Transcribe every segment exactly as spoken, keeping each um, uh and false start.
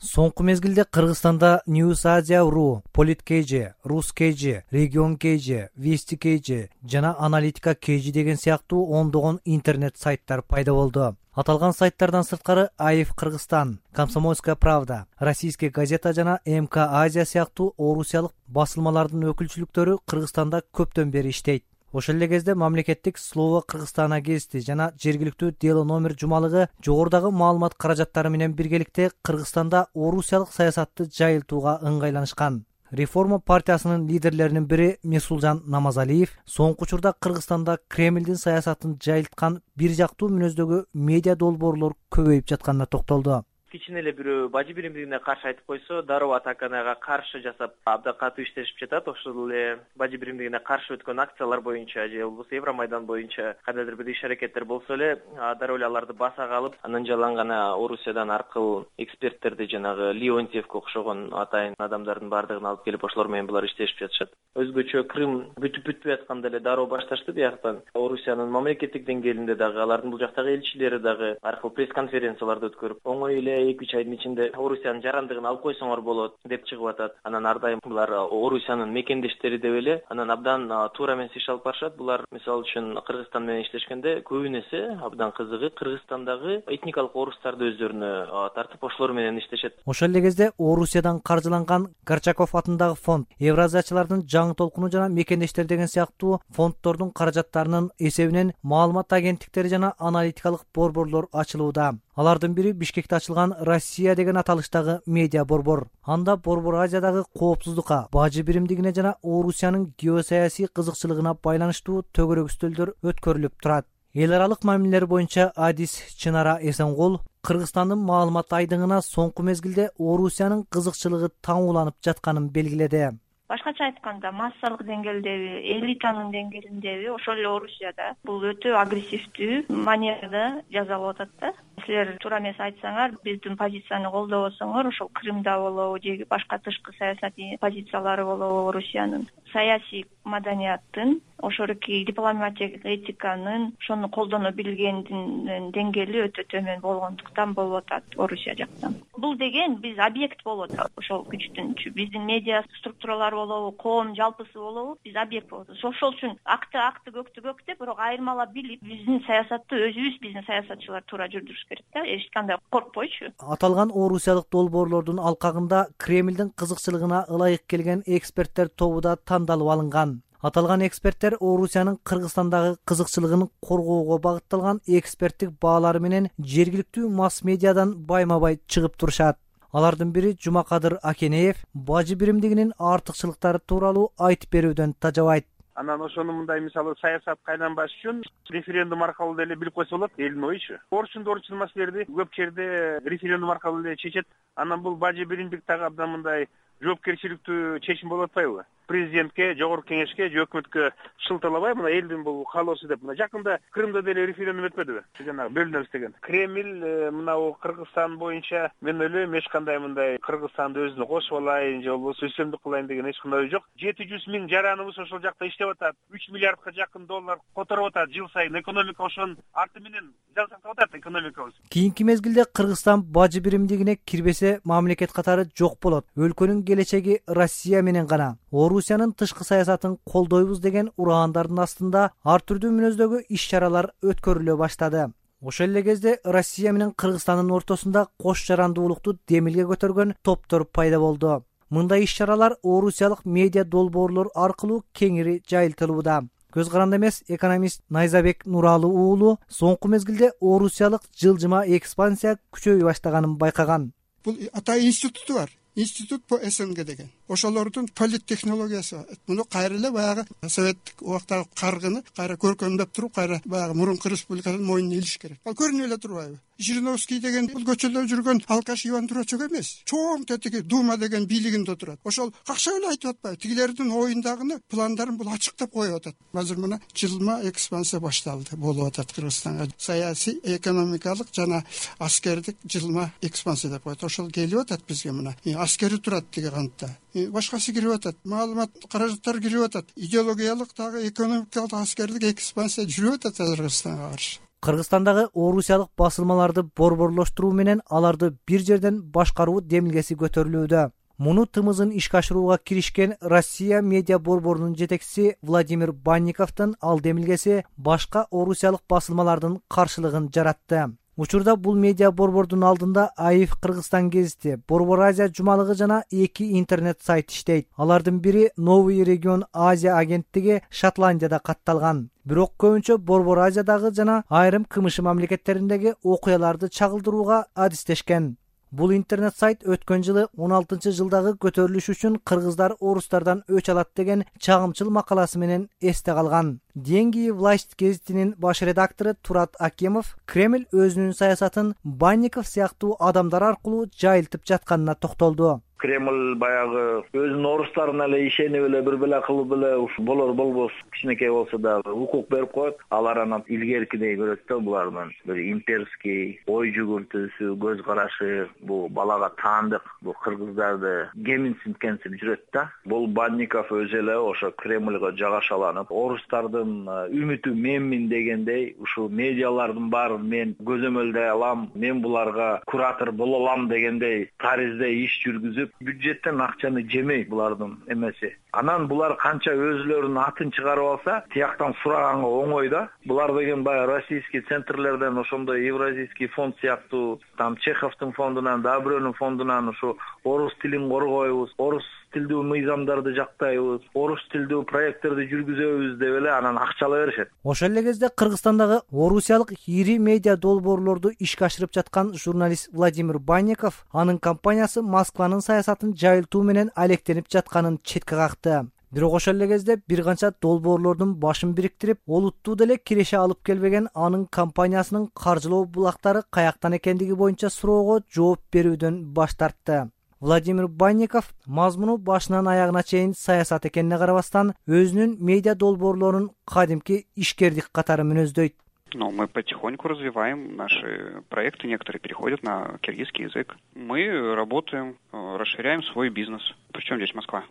Соңку мезгилде Кыргызстанда News Asia.ru, Polit.kg, Rus.kg, Region.kg, Vesti.kg жана Аналитика точка кг деген сыяктуу ондогон интернет сайттар пайда болду. Аталган сайттардан сырткары АИФ Кыргызстан, Комсомольская правда, Российская газета жана МК Азия сыяктуу орусиялык басылмалардын өкүлчүлүктөрү Кыргызстанда көптөн бери иштейт. Ошол эле кезде мамлекеттик Слово Кыргызстана гезити жана жергиликтүү Дело номер жумалыгы жогорудагы маалымат каражаттары менен биргеликте Кыргызстанда орусиялык саясатты жайылтууга ыңгайланышкан. Реформа партиясынын лидерлеринин бири Месулжан Намазалиев соңку учурда Кыргызстанда Кремлдин саясатын жайылткан бир жактуу мүнөздөгү медиа долбоорлор көбөйүп жатканына токтолду. Кичине эле бирөө бажы биримдигине каршы айтып койсо, дароо атаканага каршы жасап, абдан катуу иштешип жатат. Ошол эле бажы биримдигине каршы өткөн акциялар боюнча же болбосо Евромайдан боюнча кандайдыр бир иш-аракеттер болсо эле, дароо эле аларды баса калып, анан жалаң гана Орусиядан аркылуу эксперттерди жанагы Леонтьевке окшогон атайын адамдардын баардыгын алып келип, ошолор менен булар иштешип жатышат. Өзгөчө Крым бүтүп бүтпөй атканда эле дароо башташты бияктан. Орусиянын мамлекеттик деңгээлинде дагы, алардын бул жактагы элчилери дагы аркылуу пресс-конференцияларды өткөрүп, оңой эле эки үч айдын ичинде Орусиянын жарандыгын алып койсоңор болот деп чыгып атат. Анан ар дайым булар Орусиянын мекендештери деп эле, анан абдан туура эмес иш алып барышат. Булар мисалы үчүн Кыргызстан менен иштешкенде көбүнесе абдан кызыгы Кыргызстандагы этникалык орустарды өздөрүнө тартып, ошолор менен иштешет. Ошол эле кезде Орусиядан каржыланган Горчаков атындагы фонд, Евразиячылардын жаңы толкуну жана мекендештер деген сыяктуу фонддордун каражаттарынын эсебинен маалымат агенттиктери жана аналитикалык борборлор ачылууда. Алардын бири Бишкекте ачылган Россия деген аталыштагы медиа борбор. Анда борбор Азиядагы коопсуздукка, бажы биримдигине жана Орусиянын геосаясий кызыкчылыгына байланыштуу төгөрөк үстөлдөр өткөрүлүп турат. Эл аралык мамилелер боюнча адис Чынара Эсенгул Кыргызстандын маалымат айдыңына соңку мезгилде Орусиянын кызыкчылыгы таңууланып жатканын белгиледи. Башкача айтканда, массалык деңгээлдеби, элитанын деңгээлиндеби, ошол эле Орусияда бул өтө агрессивдүү манерада жазалып атат да. Силер туура эмес айтсаңар, биздин позицияны колдобосоңор, ошол Крымда болобу, же башка тышкы саясатый позициялары болобу, Орусиянын саясий маданияттын, ошоруки дипломатиялык этиканын, ошону колдоно билгендин деңгээли өтө төмөн болгондуктан болуп атат Орусия жактан. Бул деген биз объект болуп атат ошол күчтүнчү. Биздин медиа структуралар болобу, коом жалпысы болобу, биз объект болуп атат. Ошол үчүн акты акты көктү көк деп, бирок айырмалап билип, биздин саясатты өзүбүз, биздин саясатчылар туура жүрдүрүш керек да, эч кандай коркпойчу. Аталган орусиялык долбоорлордун алкагында Кремлдин кызыкчылыгына ылайык келген эксперттер тобу да тандалып алынган. Аталган эксперттер Орусиянын Кыргызстандагы кызыкчылыгын коргоого багытталган эксперттик баалары менен жергиликтүү масс медиадан байма-бай чыгып турушат. Алардын бири Жумакадыр Акенеев бажы биримдигинин артыкчылыктары тууралуу айтып берүүдөн тажабайт. Анан ошону мындай мисалы саясатка айланбаш үчүн референдум аркылуу деле билип койсо болот элдин оючу. Орчунду орчун маселелерди көп жерде референдум аркылуу эле чечет. Анан бул бажы биримдик дагы абдан мындай жоопкерчиликтүү чечим болуп атпайбы? Президентке, жогорку кеңешке же өкмөткө шылтырлабай, мына элдин бул каалоосу деп. Мына жакында Крымда деле референдум өтпөдүбү? Жанагы бөлүнөбүз деген. Кремль мына Кыргызстан боюнча мен ойлойм эч кандай мындай Кыргызстанды өзүнө кошуп алайын же болбосо үстөмдүк кылайын деген эч кандай ой жок. жети жүз миң жараныбыз ошол жакта иштеп атат. үч миллиардка жакын доллар которуп атат жыл сайын. Экономика ошонун арты менен жансактап атат экономикабыз. Кийинки мезгилде Кыргызстан бажы биримдигине кирбесе мамлекет катары жок болот. Өлкөнүн келечеги Россия менен гана. Орусиянын тышкы саясатын колдойбуз деген ураандардын астында ар түрдүү мүнөздөгү иш-чаралар өткөрүлө баштады. Ошол эле кезде Россия менен Кыргызстандын ортосунда кош жарандуулукту демилге көтөргөн топтор пайда болду. Мындай иш-чаралар орусиялык медиа долбоорлор аркылуу кеңири жайылтылууда. Көз каранды эмес экономист Найзабек Нуралы уулу соңку мезгилде орусиялык жылжыма экспансия күчөйө баштаганын байкаган. Бул атайын институту бар. Институт по СНГ деген. Ошолордун политтехнологиясы бар. Муну кайра эле баягы советтик убактагы каргыны кайра көркөмдөп туруп, кайра баягы мурунку республиканын мойнуна илиш керек. Ал көрүнүп эле турбайбы? Жириновский деген бул көчөдө жүргөн алкаш Иван Дурачок эмес. Чоң тетиги Дума деген бийлигинде отурат. Ошол какча эле айтып атпайбы? Тигилердин оюндагыны, пландарын бул ачыктап коюп атат. Азыр мына жылма экспансия башталды, болуп атат Кыргызстанга. Саясий, экономикалык жана аскердик жылма экспансия деп коет. Ошол келип атат бизге мына. Аскери турат тиги кантта. Башкасы кирип атат. Маалымат каражаттар кирип атат. Идеологиялык дагы экономикалык аскердик экспансия жүрүп атат Кыргызстанга каршы. Кыргызстандагы орусиялык басылмаларды борборлоштуруу менен аларды бир жерден башкаруу демилгеси көтөрүлүүдө. Муну тымызын ишке ашырууга киришкен Россия медиа борборунун жетекчиси Владимир Банниковдун ал демилгеси башка орусиялык басылмалардын каршылыгын жаратты. Учурда бул медиа борбордун алдында АИФ Кыргызстан гезити, Борбор Азия жумалыгы жана эки интернет сайт иштейт. Алардын бири Новый регион Азия агенттиги Шотландияда катталган. Бирок көбүнчө Борбор Азиядагы жана айрым КМШ мамлекеттериндеги окуяларды чагылдырууга адистешкен. Бул интернет сайт өткөн жылы он алтынчы жылдагы көтөрүлүш үчүн кыргыздар орустардан өч алат деген чагымчыл макаласы менен эсте калган. Деньги власть гезитинин баш редактору Турат Акимов Кремль өзүнүн саясатын Банников сыяктуу адамдар аркылуу жайылтып жатканына токтолду. Кремль баягы өзүнүн орустарына эле ишенип эле бир беле кылып эле болор болбос кичинекей болсо дагы укук берип коет. Алар анан илгеркидей көрөт да, булардын бир имперский ой жүгүртүүсү, көз карашы, бул балага таандык, бул кыргыздарды кеминсинткенсип жүрөт да. Бул Банников өзү эле ошо Кремльга жагашаланып, орустардын үмүтү менмин дегендей, ушул медиалардын баарын мен көзөмөлдөй алам, мен буларга куратор боло алам дегендей тариздей иш жүргүзүп, бюджеттен акчаны жемей булардын эмеси. Анан булар канча өзүлөрүнүн атын чыгарып алса, тияктан сураганга оңой да. Булар деген баягы российский центрлерден, ошондой Евразийский фонд сыяктуу, там Чеховдун фондунан, да бирөөнүн фондунан ушу орус тилин коргойбуз, орус тилдүү мыйзамдарды жактайбыз, орус тилдүү проекттерди жүргүзөбүз деп эле анан акчалай беришет. Ошол эле кезде Кыргызстандагы орусиялык ири медиа долбоорлорду ишке ашырып жаткан журналист Владимир Банников анын компаниясы Москванын саясатын жайылтуу менен алектенип жатканын четке какты. Бирок ошол эле кезде бир канча долбоорлордун башын бириктирип, олуттуу деле киреше алып келбеген анын компаниясынын каржылоо булактары каяктан экендиги боюнча суроого жооп берүүдөн баш тартты. Владимир Банников мазмуну башынан аягына чейин саясат экенине карабастан өзүнүн медиа долбоорлорун кадимки ишкердик катары мүнөздөйт. Но мы потихоньку развиваем наши проекты, некоторые переходят на киргизский язык. Мы работаем, расширяем свой бизнес. Причем здесь Москва?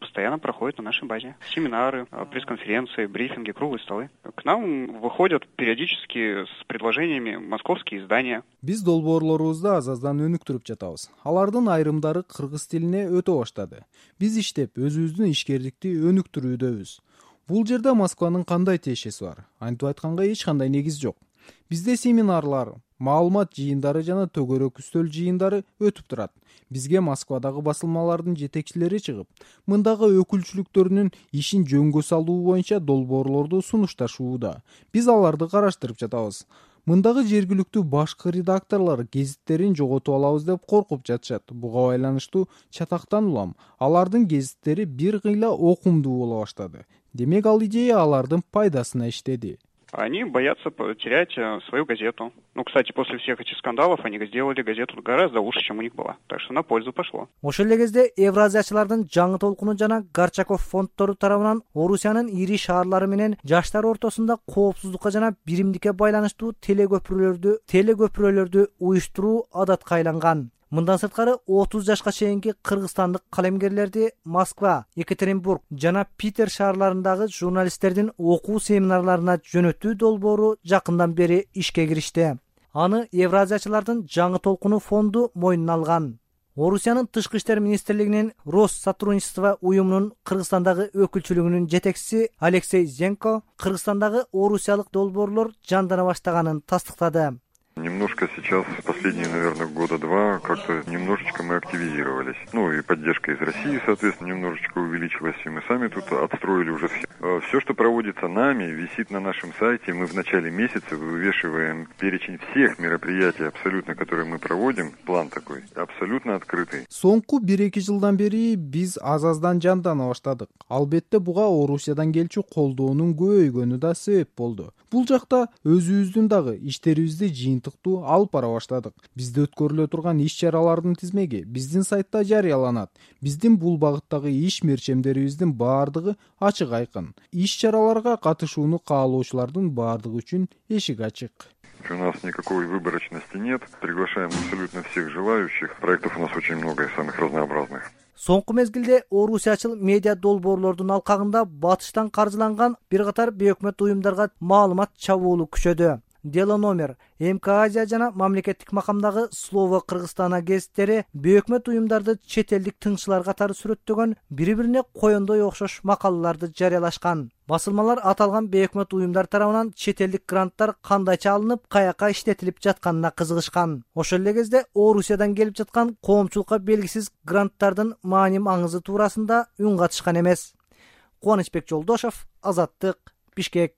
Постоянно проходят на нашей базе семинары, пресс-конференции, брифинги, круглые столы. К нам выходят периодически с предложениями московские издания. Биз долбоорлорубузду аз-аздан өнүктүрүп жатабыз. Алардын айрымдары кыргыз тилине өтө баштады. Биз иштеп, өзүбүздүн ишкердикти өнүктүрүүдөбүз. Бул жерде Москванын кандай тиешеси бар? Антип айтканга эч кандай негиз жок. Бизде семинарлар, маалымат жыйындары жана төгөрөк үстөл жыйындары өтүп турат. Бизге Москвадагы басылмалардын жетекчилери чыгып, мындагы өкүлчүлүктөрүнүн ишин жөнгө салуу боюнча долбоорлорду сунушташууда. Биз аларды караштырып жатабыз. Мындагы жергиликтүү башкы редакторлор гезиттерин жоготуп алабыз деп коркуп жатышат. Буга байланыштуу чатактан улам. Алардын гезиттери бир кыйла окумдуу боло баштады. Демек ал идея алардын пайдасына иштеди. Они боятся потерять свою газету. Ну, кстати, после всех этих скандалов они сделали газету гораздо лучше, чем у них была. Так что на пользу пошло. Ошол эле кезде Евразиячылардын жаңы толкуну жана Горчаков фонддору тарабынан Орусиянын ири шаарлары менен жаштар ортосунда коопсуздукка жана биримдикке байланыштуу телекөпүрөлөрдү телекөпүрөлөрдү уюштуруу адатка айланган. Мындан сырткары отуз жашка чейинки кыргызстандык калемгерлерди Москва, Екатеринбург жана Питер шаарларындагы журналисттердин окуу семинарларына жөнөтүү долбоору жакындан бери ишке киришти. Аны Евразиячылардын жаңы толкуну фонду мойнуна алган. Орусиянын тышкы иштер министрлигинин Россотрудничество уюмунун Кыргызстандагы өкүлчүлүгүнүн жетекчиси Алексей Зенко Кыргызстандагы орусиялык долбоорлор жандана баштаганын тастыктады. Немножко сейчас, последние, наверное, года два, как-то немножечко мы активизировались. Ну и поддержка из России, соответственно, немножечко увеличилась, и мы сами тут отстроили уже все. Все, что проводится нами, висит на нашем сайте. Мы в начале месяца вывешиваем перечень всех мероприятий, абсолютно, которые мы проводим. План такой, абсолютно открытый. Соңку бир-эки жылдан бери биз аз-аздан жандана баштадык. Албетте буга Орусиядан келчү колдоонун көбөйгөнү да себеп болду. Бул жакта өзүбүздүн дагы иштерибизди жыйынтыктуу алып бара баштадык. Бизде өткөрүлө турган иш-чаралардын тизмеги биздин сайтта жарыяланат. Биздин бул багыттагы иш мерчемдерибиздин баардыгы ачык айкын. Иш-чараларга катышууну каалоочулардын баардыгы үчүн эшик ачык. У нас никакой выборочности нет. Приглашаем абсолютно всех желающих. Проектов у нас очень много и самых разнообразных. Соңку мезгилде орусиячыл медиа долбоорлордун алкагында батыштан каржыланган бир катар бейөкмөт уюмдарга маалымат чабуулу күчөдү. Дело номер, эм ка Азия жана мамлекеттик макамдагы Слово Кыргызстана гезиттери бейөкмөт уюмдарды чет элдик тыңчылар катары сүрөттөгөн бири-бирине коёндой окшош макалаларды жарыялашкан. Басылмалар аталган бейөкмөт уюмдар тарабынан чет элдик гранттар кандайча алынып, каяка иштетилип жатканына кызыгышкан. Ошол эле кезде Орусиядан келип жаткан коомчулукка белгисиз гранттардын маани маңызы туурасында үн катышкан эмес. Кубанычбек Жолдошов, Азаттык, Бишкек.